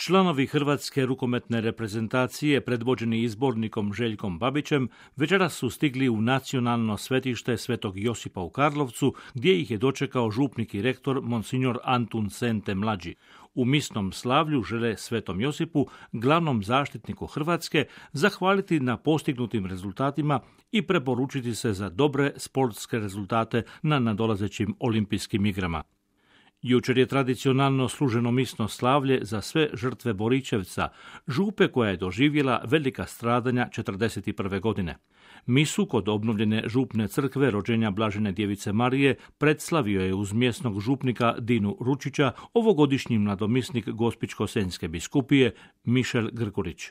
Članovi hrvatske rukometne reprezentacije, predvođeni izbornikom Željkom Babićem, večeras su stigli u nacionalno svetište Svetog Josipa u Karlovcu, gdje ih je dočekao župnik i rektor monsignor Antun Sente mlađi. U misnom slavlju žele Svetom Josipu, glavnom zaštitniku Hrvatske, zahvaliti na postignutim rezultatima i preporučiti se za dobre sportske rezultate na nadolazećim olimpijskim igrama. Jučer je tradicionalno služeno misno slavlje za sve žrtve Borićevca, župe koja je doživjela velika stradanja 1941. godine. Misu kod obnovljene župne crkve rođenja Blažene djevice Marije predslavio je uz mjesnog župnika Dinu Ručića ovogodišnji mladomisnik Gospićko-senjske biskupije Mišel Grgurić.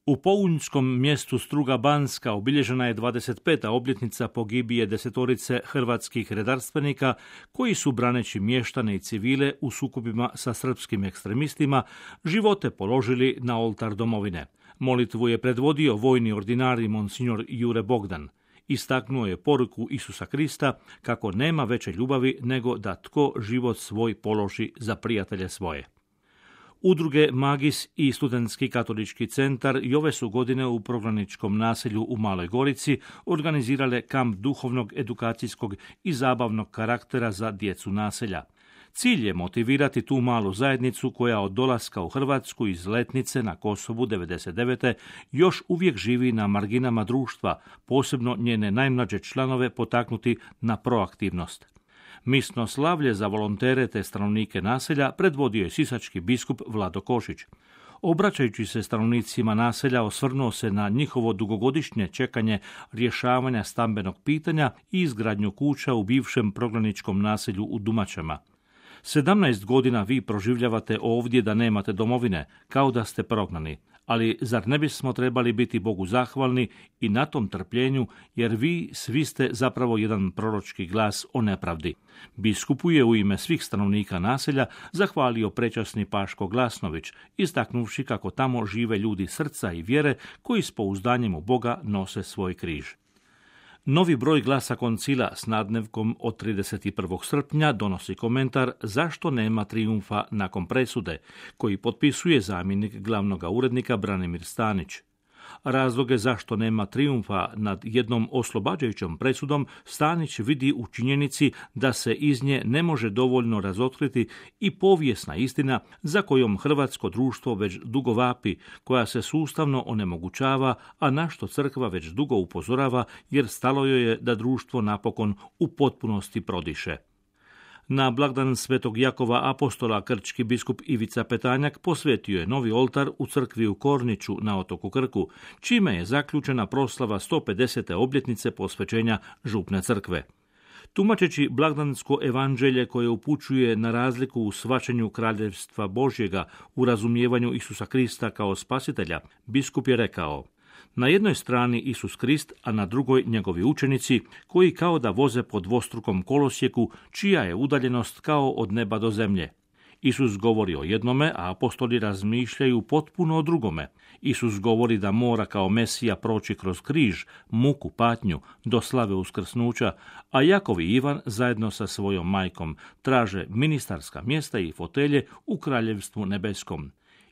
U pounjskom mjestu Struga Banska obilježena je 25. obljetnica pogibije 10 hrvatskih redarstvenika koji su, braneći mještane i civile u sukobima sa srpskim ekstremistima, živote položili na oltar domovine. Molitvu je predvodio vojni ordinari monsignor Jure Bogdan. Istaknuo je poruku Isusa Krista kako nema veće ljubavi nego da tko život svoj položi za prijatelje svoje. Udruge Magis i Studentski katolički centar i ove su godine u prognaničkom naselju u Maloj Gorici organizirale kamp duhovnog, edukacijskog i zabavnog karaktera za djecu naselja. Cilj je motivirati tu malu zajednicu koja od dolaska u Hrvatsku iz Letnice na Kosovu 1999. još uvijek živi na marginama društva, posebno njene najmlađe članove potaknuti na proaktivnost. Misno slavlje za volontere te stanovnike naselja predvodio je sisački biskup Vlado Košić. Obraćajući se stanovnicima naselja, osvrnuo se na njihovo dugogodišnje čekanje rješavanja stambenog pitanja i izgradnju kuća u bivšem prognaničkom naselju u Dumačama. 17 godina vi proživljavate ovdje da nemate domovine, kao da ste prognani. Ali zar ne bismo trebali biti Bogu zahvalni i na tom trpljenju, jer vi svi ste zapravo jedan proročki glas o nepravdi. Biskupu je u ime svih stanovnika naselja zahvalio prečasni Paško Glasnović, istaknuvši kako tamo žive ljudi srca i vjere koji s pouzdanjem u Boga nose svoj križ. Novi broj Glasa Koncila s nadnevkom od 31. srpnja donosi komentar zašto nema trijumfa nakon presude, koji potpisuje zamjenik glavnog urednika Branimir Stanić. Razloge zašto nema trijumfa nad jednom oslobađajućom presudom Stanić vidi u činjenici da se iz nje ne može dovoljno razotkriti i povijesna istina za kojom hrvatsko društvo već dugo vapi, koja se sustavno onemogućava, a na što crkva već dugo upozorava jer stalo joj je da društvo napokon u potpunosti prodiše. Na blagdan Svetog Jakova Apostola krčki biskup Ivica Petanjak posvetio je novi oltar u crkvi u Korniću na otoku Krku, čime je zaključena proslava 150. obljetnice posvećenja župne crkve. Tumačeći blagdansko evanđelje koje upućuje na razliku u shvaćanju kraljevstva Božjega u razumijevanju Isusa Krista kao spasitelja, biskup je rekao: na jednoj strani Isus Krist, a na drugoj njegovi učenici, koji kao da voze po dvostrukom kolosijeku, čija je udaljenost kao od neba do zemlje. Isus govori o jednome, a apostoli razmišljaju potpuno o drugome. Isus govori da mora kao Mesija proći kroz križ, muku, patnju, do slave uskrsnuća, a Jakov i Ivan zajedno sa svojom majkom traže ministarska mjesta i fotelje u kraljevstvu nebeskom.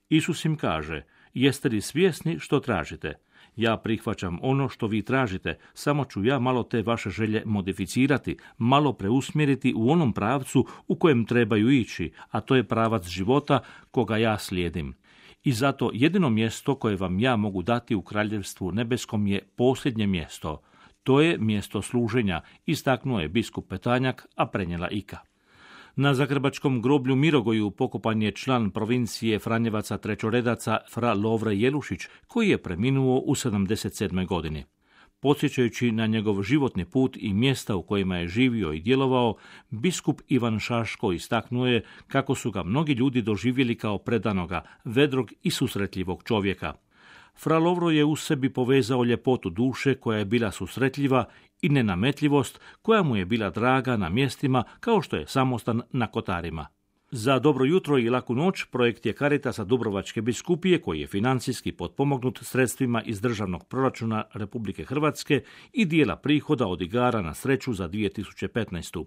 Isus im kaže: jeste li svjesni što tražite? Ja prihvaćam ono što vi tražite, samo ću ja malo te vaše želje modificirati, malo preusmjeriti u onom pravcu u kojem trebaju ići, a to je pravac života koga ja slijedim. I zato jedino mjesto koje vam ja mogu dati u kraljevstvu nebeskom je posljednje mjesto. To je mjesto služenja, istaknuo je biskup Petanjak, a prenijela Ika. Na zagrebačkom groblju Mirogoju pokopan je član provincije Franjevaca trećoredaca fra Lovre Jelušić, koji je preminuo u 77. godini. Podsjećajući na njegov životni put i mjesta u kojima je živio i djelovao, biskup Ivan Šaško istaknuo je kako su ga mnogi ljudi doživjeli kao predanoga, vedrog i susretljivog čovjeka. Fra Lovro je u sebi povezao ljepotu duše koja je bila susretljiva i nenametljivost koja mu je bila draga na mjestima kao što je samostan na Kotarima. Za dobro jutro i laku noć projekt je Caritasa Dubrovačke biskupije koji je financijski potpomognut sredstvima iz državnog proračuna Republike Hrvatske i dijela prihoda od igara na sreću za 2015.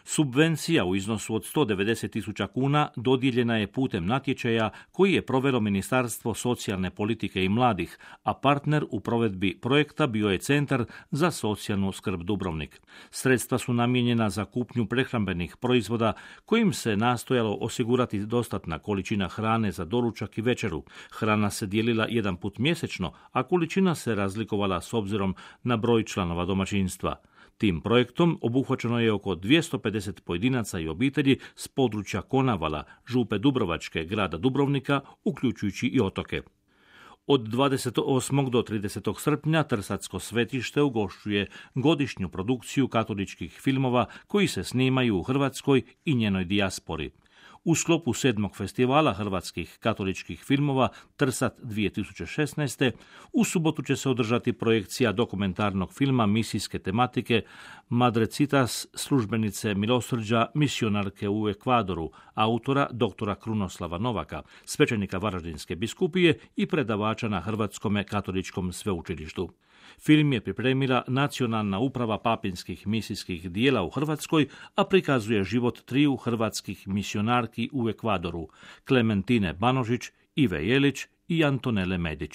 Subvencija u iznosu od 190.000 kuna dodijeljena je putem natječaja koji je provelo Ministarstvo socijalne politike i mladih, a partner u provedbi projekta bio je Centar za socijalnu skrb Dubrovnik. Sredstva su namijenjena za kupnju prehrambenih proizvoda kojim se nastojalo osigurati dostatna količina hrane za doručak i večeru. Hrana se dijelila jedan put mjesečno, a količina se razlikovala s obzirom na broj članova domaćinstva. Tim projektom obuhvaćeno je oko 250 pojedinaca i obitelji s područja Konavala, Župe Dubrovačke, grada Dubrovnika, uključujući i otoke. Od 28. do 30. srpnja Trsatsko svetište ugošćuje godišnju produkciju katoličkih filmova koji se snimaju u Hrvatskoj i njenoj dijaspori. U sklopu 7. festivala hrvatskih katoličkih filmova Trsat 2016. u subotu će se održati projekcija dokumentarnog filma misijske tematike Madrecitas, službenice milosrđa misionarke u Ekvadoru, autora dr. Krunoslava Novaka, svećenika Varaždinske biskupije i predavača na Hrvatskome katoličkom sveučilištu. Film je pripremila Nacionalna uprava papinskih misijskih dijela u Hrvatskoj, a prikazuje život triju hrvatskih misionarki u Ekvadoru, Klementine Banožić, Ive Jelić i Antonele Medić.